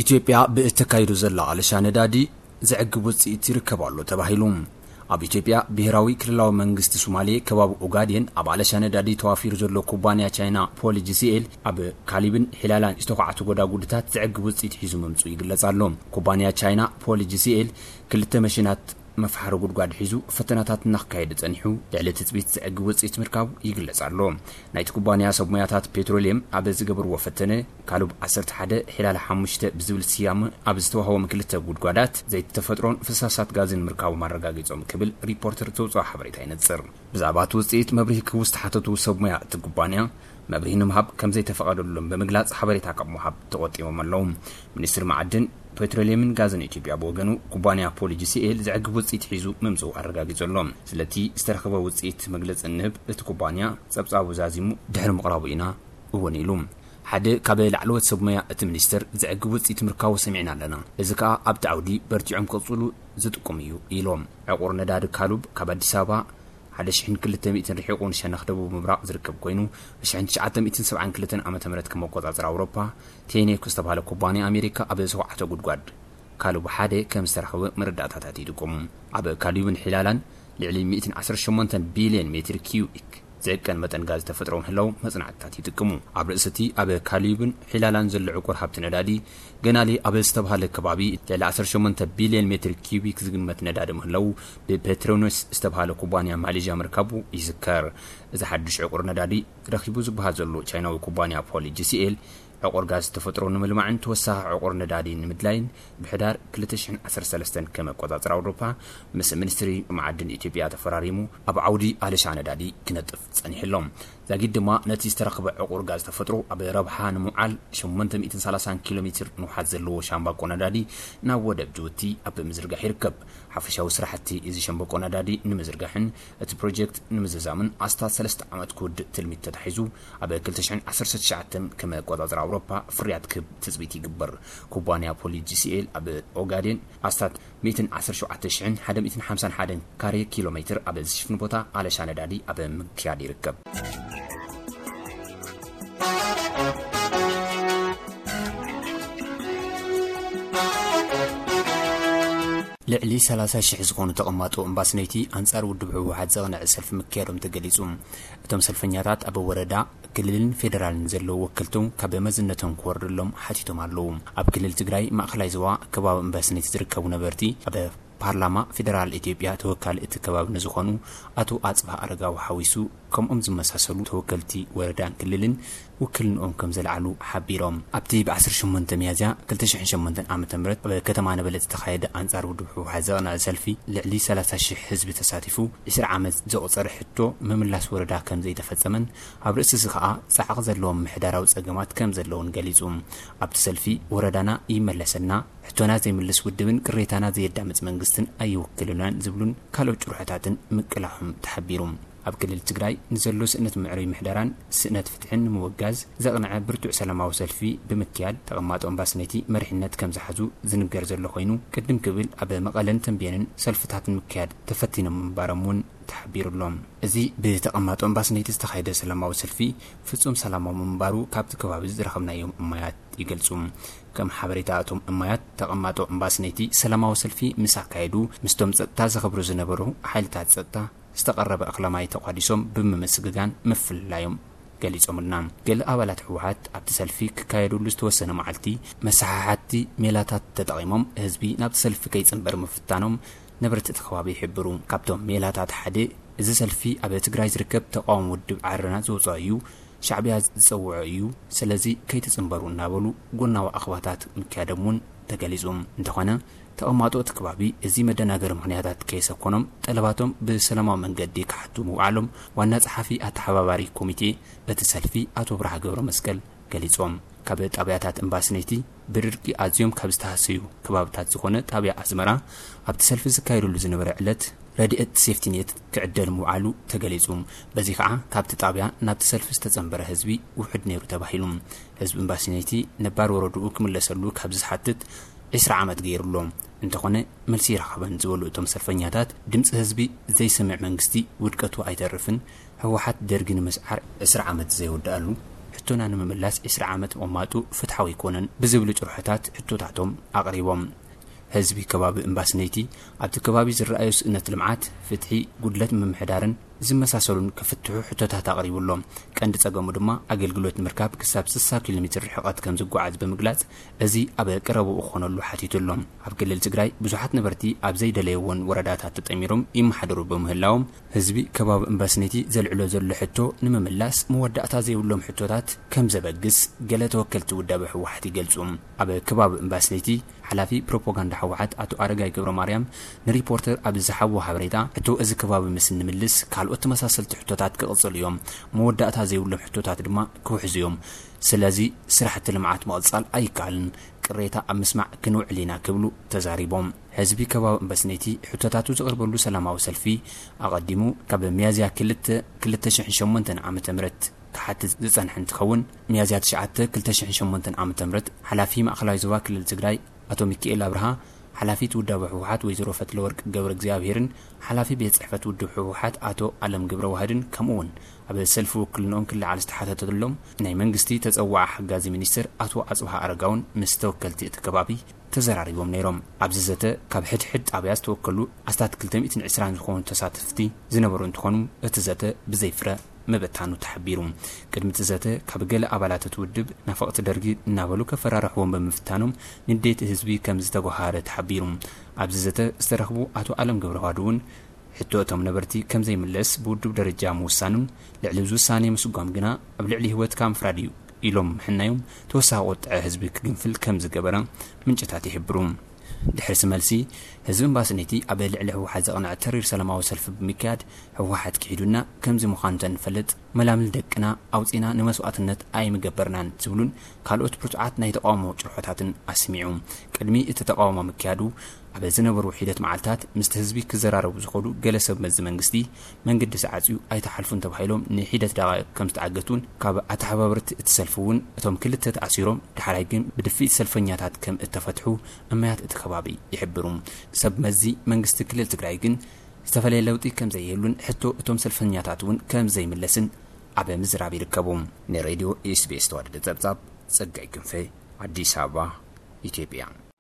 ኢትዮጵያ ብእተካይዶ ዘላ ኣለሻ ነዳዲ ዘዕግብ ውፅኢት ይርከብ ኣሎ ተባሂሉ። ኣብ ኢትዮጵያ ብሄራዊ ክልላዊ መንግስቲ ሶማሌ ከባቢ ኦጋዴን ኣብ ኣለሻ ነዳዲ ተዋፊሩ ዘሎ ኩባንያ ቻይና ፖሊ ጂ ሲ ኤል ኣብ ካሊብን ሒላላን ዝተኳዕቱ ጎዳጉድታት ዘዕግብ ውፅኢት ሒዙ ምምፁ ይግለጽ ኣሎ። ኩባንያ ቻይና ፖሊ ጂ ሲ ኤል ክልተ መሽናት መፍሓሪ ጉድጓድ ሒዙ ፈተናታት እናካየደ ጸኒሑ፣ ልዕሊ ትጽቢት ዘዕግብ ውጽኢት ምርካቡ ይግለጽ ኣሎ። ናይቲ ኩባንያ ሰብ ሞያታት ፔትሮልየም ኣብ ዝገበርዎ ፈተነ፣ ካሉብ ዓሰርተ ሓደ ሒላል ሓሙሽተ ብዝብል ስያመ ኣብ ዝተዋህቦም ክልተ ጉድጓዳት ዘይቲ ተፈጥሮን ፍሳሳት ጋዝን ምርካቡ ማረጋጊጾም ክብል ሪፖርተር ዘውጽኦ ሓበሬታ ይነጽር። ብዛዕባ እቲ ውጽኢት መብርሂ ክህቡ ዝተሓተቱ ሰብ ሞያ እቲ ኩባንያ፣ መብርሂ ንምሃብ ከም ዘይተፈቐደሎም ብምግላጽ ሓበሬታ ካብ ምሃብ ተቖጢቦም ኣለዉ። ሚኒስትሪ መዓድን ፔትሮልየምን ጋዝን ኢትዮጵያ ብወገኑ፣ ኩባንያ ፖሊ ጂ ሲ ኤል ዘዕግብ ውጽኢት ሒዙ ምምጽኡ ኣረጋጊጹ ኣሎ። ስለቲ ዝተረኸበ ውጽኢት መግለጺ እንህብ፣ እቲ ኩባንያ ጸብጻቡ ዛዚሙ ድሕሪ ምቕራቡ ኢና እውን ኢሉ። ሓደ ካብ ላዕለዎት ሰብ ሞያ እቲ ሚኒስትር፣ ዘዕግብ ውጽኢት ምርካቡ ሰሚዕና ኣለና። እዚ ከኣ ኣብቲ ዓውዲ በርቲዖም ክቕጽሉ ዝጥቁም እዩ ኢሎም። ዕቑር ነዳዲ ካሉብ ካብ ኣዲስ ኣበባ ሓደ ሽሕን ክልተ ሚእትን ርሒቑ ንሸነኽ ደቡብ ምብራቕ ዝርከብ ኮይኑ፣ ብሽሕን ትሽዓተ ሚእትን ሰብዓን ክልተን ዓመተ ምህረት ከም ኣቆጻጽራ ኣውሮፓ፣ ቴኔክ ዝተባህለ ኩባንያ ኣሜሪካ ኣብ ዝተኳዕተ ጉድጓድ ካሉብ ሓደ ከም ዝተረኸበ መረዳእታታት ይጥቁሙ። ኣብ ካሉብን ሒላላን ልዕሊ ሚእትን ዓሰርተ ሸሞንተን ቢልዮን ሜትር ኪዩቢክ ዝዕቀን መጠን ጋዝ ተፈጥሮ ምህላው መጽናዕትታት ይጥቅሙ። ኣብ ርእሲ እቲ ኣብ ካሉብን ሒላላን ዘሎ ዕቁር ሃብቲ ነዳዲ፣ ገናሌ ኣብ ዝተባህለ ከባቢ ልዕሊ ዓሰርተ ሸሞንተ ቢልዮን ሜትር ኪዩቢክ ዝግመት ነዳዲ ምህላው ብፔትሮኖስ ዝተባህለ ኩባንያ ማሌዥያ ምርካቡ ይዝከር። እዚ ሓድሽ ዕቁር ነዳዲ ረኺቡ ዝበሃል ዘሎ ቻይናዊ ኩባንያ ፖሊ ጂ ሲ ኤል፣ ዕቑር ጋዝ ተፈጥሮ ንምልማዕን ተወሳኺ ዕቑር ነዳዲ ንምድላይን ብሕዳር ክልተ ሽሕን ዓሰርተ ሰለስተን ከም ኣቆጻጽራ ኣውሮፓ ምስ ሚኒስትሪ መዓድን ኢትዮጵያ ተፈራሪሙ ኣብ ዓውዲ ኣለሻ ነዳዲ ክነጥፍ ጸኒሑ ኣሎ። ዛጊድ ድማ ነቲ ዝተረኽበ ዕቑር ጋዝ ተፈጥሮ ኣብ ረብሓ ንምውዓል ሸሞንተ ሚእትን ሰላሳን ኪሎ ሜትር ንውሓት ዘለዎ ሻምባቆ ነዳዲ ናብ ወደብ ጅቡቲ ኣብ ምዝርጋሕ ይርከብ። ሓፈሻዊ ስራሕቲ እዚ ሸምበቆ ነዳዲ ንምዝርጋሕን እቲ ፕሮጀክት ንምዝዛምን ኣስታት ሰለስተ ዓመት ክውድእ ትልሚት ተታሒዙ፣ ኣብ ክልተ ሽሕን ዓሰርተ ትሽዓተን ከም ኣቆጻጽራ ኣውሮፓ ፍርያት ክህብ ትጽቢት ይግበር። ኩባንያ ፖሊ ጂ ሲ ኤል ኣብ ኦጋዴን ኣስታት ሚእትን ዓሰርተ ሸውዓተ ሽሕን ሓደ ሚእትን ሓምሳን ሓደን ካሬ ኪሎ ሜትር ኣብ ዝሽፍን ቦታ ኣለሻ ነዳዲ ኣብ ምክያድ ይርከብ። ልዕሊ ሰላሳ ሽሕ ዝኾኑ ተቐማጦ እምባስነይቲ ኣንጻር ውድብ ህወሓት ዘቕንዐ ሰልፊ ምክያዶም ተገሊጹ። እቶም ሰልፈኛታት ኣብ ወረዳ፣ ክልልን ፌደራልን ዘለዉ ወከልቶም ካብ መዝነቶም ክወርድሎም ሓቲቶም ኣለዉ። ኣብ ክልል ትግራይ ማእኸላይ ዞባ ከባቢ እምባስነይቲ ዝርከቡ ነበርቲ፣ ኣብ ፓርላማ ፌደራል ኢትዮጵያ ተወካሊ እቲ ከባቢ ንዝኾኑ ኣቶ ኣጽብሃ ኣረጋዊ ሓዊሱ፣ ከምኦም ዝመሳሰሉ ተወከልቲ ወረዳን ክልልን ውክልንኦም ከም ዘልዓሉ ሓቢሮም። ኣብቲ ብ ዓሰርተ ሸሞንተ ሚያዝያ ክልተ ሽሕን ሸሞንተን ዓመተ ምህረት ኣብ ከተማ ነበለት ዝተኻየደ ኣንጻር ውድብ ህወሓት ዘቕንዐ ሰልፊ፣ ልዕሊ ሰላሳ ሽሕ ህዝቢ ተሳቲፉ፣ ዕስራ ዓመት ዘቑጸረ ሕቶ ምምላስ ወረዳ ከም ዘይተፈጸመን፣ ኣብ ርእሲ እዚ ከኣ ጻዕቒ ዘለዎም ምሕዳራዊ ጸገማት ከም ዘለውን ገሊጹ። ኣብቲ ሰልፊ፣ ወረዳና ይመለሰልና፣ ሕቶና ዘይምልስ ውድብን ቅሬታና ዘየዳምጽ መንግስትን ኣይውክልናን ዝብሉን ካልኦት ጭርሖታትን ምቅላሖም ተሓቢሩ። ኣብ ክልል ትግራይ ንዘሎ ስእነት ምዕሩይ ምሕደራን ስእነት ፍትሕን ንምውጋዝ ዘቕንዐ ብርቱዕ ሰላማዊ ሰልፊ ብምክያድ፣ ተቐማጦ እምባስነይቲ መሪሕነት ከም ዝሓዙ ዝንገር ዘሎ ኮይኑ፣ ቅድም ክብል ኣብ መቐለን ተንቤንን ሰልፍታት ንምክያድ ተፈቲኖም ምንባሮም እውን ተሓቢሩ ኣሎ። እዚ ብተቐማጦ እምባስነይቲ ዝተኻየደ ሰላማዊ ሰልፊ ፍጹም ሰላማዊ ምንባሩ ካብቲ ከባቢ ዝረኸብናዮም እማያት ይገልጹ። ከም ሓበሬታ እቶም እማያት፣ ተቐማጦ እምባስነይቲ ሰላማዊ ሰልፊ ምስ ኣካየዱ፣ ምስቶም ጸጥታ ዘኸብሩ ዝነበሩ ሓይልታት ጸጥታ ዝተቐረበ እኽለ ማይ ተቋዲሶም ብምምስግጋን ምፍልላዮም ገሊጾምልና። ገለ ኣባላት ህወሓት ኣብቲ ሰልፊ ክካየደሉ ዝተወሰነ መዓልቲ መሰሓሓቲ ሜላታት ተጠቒሞም ህዝቢ ናብቲ ሰልፊ ከይጽንበር ምፍታኖም ነበርቲ እቲ ከባቢ ይሕብሩ። ካብቶም ሜላታት ሓደ፣ እዚ ሰልፊ ኣብ ትግራይ ዝርከብ ተቃዋሚ ውድብ ዓረና ዘውፅኦ እዩ፣ ሻዕብያ ዝፀውዖ እዩ፣ ስለዚ ከይትፅንበሩ እናበሉ ጎናዊ ኣኽባታት ምክያዶም እውን ተገሊፁ። እንተኾነ፣ ተቐማጦ እቲ ከባቢ እዚ መደናገሪ ምኽንያታት ከየሰኮኖም፣ ጠለባቶም ብሰላማዊ መንገዲ ክሓቱ ምውዓሎም ዋና ጸሓፊ ኣተሓባባሪ ኮሚቴ እቲ ሰልፊ ኣቶ ብርሃ ገብረ መስቀል ገሊጾም። ካብ ጣብያታት እምባስነይቲ ብድርቂ ኣዝዮም ካብ ዝተሃሰዩ ከባብታት ዝኾነ ጣብያ ኣስመራ ኣብቲ ሰልፊ ዝካየደሉ ዝነበረ ዕለት ረድኤት ሴፍቲኔት ክዕደል ምውዓሉ ተገሊጹ። በዚ ከዓ ካብቲ ጣብያ ናብቲ ሰልፊ ዝተጸንበረ ህዝቢ ውሑድ ነይሩ ተባሂሉ። ህዝቢ እምባስነይቲ ነባር ወረድኡ ክምለሰሉ ካብ ዝሓትት ዕስራ ዓመት ገይሩ ኣሎ። እንተኾነ መልሲ ይረኸበን ዝበሉ እቶም ሰልፈኛታት፣ ድምፂ ህዝቢ ዘይሰምዕ መንግስቲ ውድቀቱ ኣይተርፍን፣ ህወሓት ደርጊ ንምስዓር ዕስራ ዓመት ዘይወድኣሉ፣ ሕቶና ንምምላስ ዕስራ ዓመት ምቕማጡ ፍትሓዊ ኣይኮነን ብዝብሉ ጭርሖታት ሕቶታቶም ኣቕሪቦም። ህዝቢ ከባቢ እምባስነይቲ ኣብቲ ከባቢ ዝረኣዩ ስእነት ልምዓት፣ ፍትሒ፣ ጉድለት ምምሕዳርን ዝመሳሰሉን ክፍትሑ ሕቶታት ኣቕሪቡ ኣሎ። ቀንዲ ጸገሙ ድማ ኣገልግሎት ንምርካብ ክሳብ ስሳ ኪሎ ሜትር ርሕቐት ከም ዝጓዓዝ ብምግላጽ፣ እዚ ኣብ ቀረባኡ ክኾነሉ ሓቲቱ ኣሎ። ኣብ ክልል ትግራይ ብዙሓት ነበርቲ ኣብ ዘይደለይዎን ወረዳታት ተጠሚሮም ይመሓደሩ ብምህላዎም፣ ህዝቢ ከባቢ እምባስነይቲ ዘልዕሎ ዘሎ ሕቶ ንምምላስ መወዳእታ ዘይብሎም ሕቶታት ከም ዘበግስ ገለ ተወከልቲ ውዳበ ህወሓት ይገልጹ። ኣብ ከባቢ እምባስነይቲ ሓላፊ ፕሮፓጋንዳ ህወሓት ኣቶ ኣረጋይ ገብረ ማርያም ንሪፖርተር ኣብ ዝሃብዎ ሓበሬታ፣ ሕቶ እዚ ከባቢ ምስ እንምልስ ካልኦት ተመሳሰልቲ ሕቶታት ክቕጽሉ እዮም፣ መወዳእታ ዘይብሎም ሕቶታት ድማ ክውሕዙ እዮም። ስለዚ ስራሕቲ ልምዓት ምቕጻል ኣይከኣልን፣ ቅሬታ ኣብ ምስማዕ ክንውዕል ኢና ክብሉ ተዛሪቦም። ህዝቢ ከባቢ እምባስነይቲ ሕቶታቱ ዘቕርበሉ ሰላማዊ ሰልፊ ኣቐዲሙ ካብ ሚያዝያ ክልተ ክልተ ሽሕን ሸሞንተን ዓመተ ምህረት ክሓትት ዝጸንሐ እንትኸውን፣ ሚያዝያ ትሽዓተ ክልተ ሽሕን ሸሞንተን ዓመተ ምህረት ሓላፊ ማእኸላዊ ዞባ ክልል ትግራይ ኣቶ ሚካኤል ኣብርሃ፣ ሓላፊት ውዳበ ህወሓት ወይዘሮ ፈትለወርቅ ገብረ እግዚኣብሄርን ሓላፊ ቤት ጽሕፈት ውድብ ህወሓት ኣቶ ኣለም ገብረ ዋህድን፣ ከምኡ እውን ኣብ ሰልፊ ውክልንኦም ክለዓል ዝተሓተተሎም ናይ መንግስቲ ተጸዋዓ ሓጋዚ ሚኒስትር ኣቶ ኣጽብሃ ኣረጋውን ምስ ተወከልቲ እቲ ከባቢ ተዘራሪቦም ነይሮም። ኣብዚ ዘተ ካብ ሕድሕድ ጣብያ ዝተወከሉ ኣስታት ክልተ ሚእትን ዕስራን ዝኾኑ ተሳተፍቲ ዝነበሩ እንትኾኑ፣ እቲ ዘተ ብዘይ ፍረ ምብታኑ ተሓቢሩ። ቅድሚ እቲ ዘተ ካብ ገለ ኣባላት እቲ ውድብ ናፈቕቲ ደርጊ እናበሉ ከፈራርሕዎም ብምፍታኖም ንዴት ህዝቢ ከም ዝተጓሃረ ተሓቢሩ። ኣብዚ ዘተ ዝተረኽቡ ኣቶ ኣለም ገብረ ዋህድ እውን፣ ሕቶ እቶም ነበርቲ ከም ዘይምለስ ብውድብ ደረጃ ምውሳኑን ልዕሊ እዚ ውሳኔ ምስጓም ግና ኣብ ልዕሊ ህይወትካ ምፍራድ እዩ ኢሎም ምሕናዮም ተወሳኺ ቁጥዐ ህዝቢ ክግንፍል ከም ዝገበረ ምንጭታት ይሕብሩ። ድሕሪ እዚ መልሲ፣ ህዝቢ እምባስነይቲ ኣብ ልዕሊ ህወሓት ዘቕንዐ ተሪር ሰላማዊ ሰልፊ ብምክያድ፣ ህወሓት ክሒዱና፣ ከምዚ ምዃኑ እንተንፈልጥ መላምል ደቅና ኣውፂና ንመስዋእትነት ኣይምገበርናን ዝብሉን ካልኦት ብርቱዓት ናይ ተቃውሞ ጭርሖታትን ኣስሚዑ። ቅድሚ እቲ ተቃውሞ ምክያዱ ኣብ ዝነበሩ ሒደት መዓልታት ምስቲ ህዝቢ ክዘራረቡ ዝኸዱ ገለ ሰብ መዚ መንግስቲ፣ መንገዲ ተዓፅዩ ኣይተሓልፉን ተባሂሎም ንሒደት ደቓይቕ ከም ዝተዓገቱን ካብ ኣተሓባበርቲ እቲ ሰልፊ እውን እቶም ክልተ ተኣሲሮም ዳሕራይ ግን ብድፍኢት ሰልፈኛታት ከም እተፈትሑ እማያት እቲ ከባቢ ይሕብሩ። ሰብ መዚ መንግስቲ ክልል ትግራይ ግን ዝተፈለየ ለውጢ ከም ዘይህሉን ሕቶ እቶም ሰልፈኛታት እውን ከም ዘይምለስን ኣብ ምዝራብ ይርከቡ። ንሬድዮ ኤስቢኤስ ተዋደደ ጸብጻብ ጸጋይ ክንፈ፣ ኣዲስ ኣበባ፣ ኢትዮጵያ።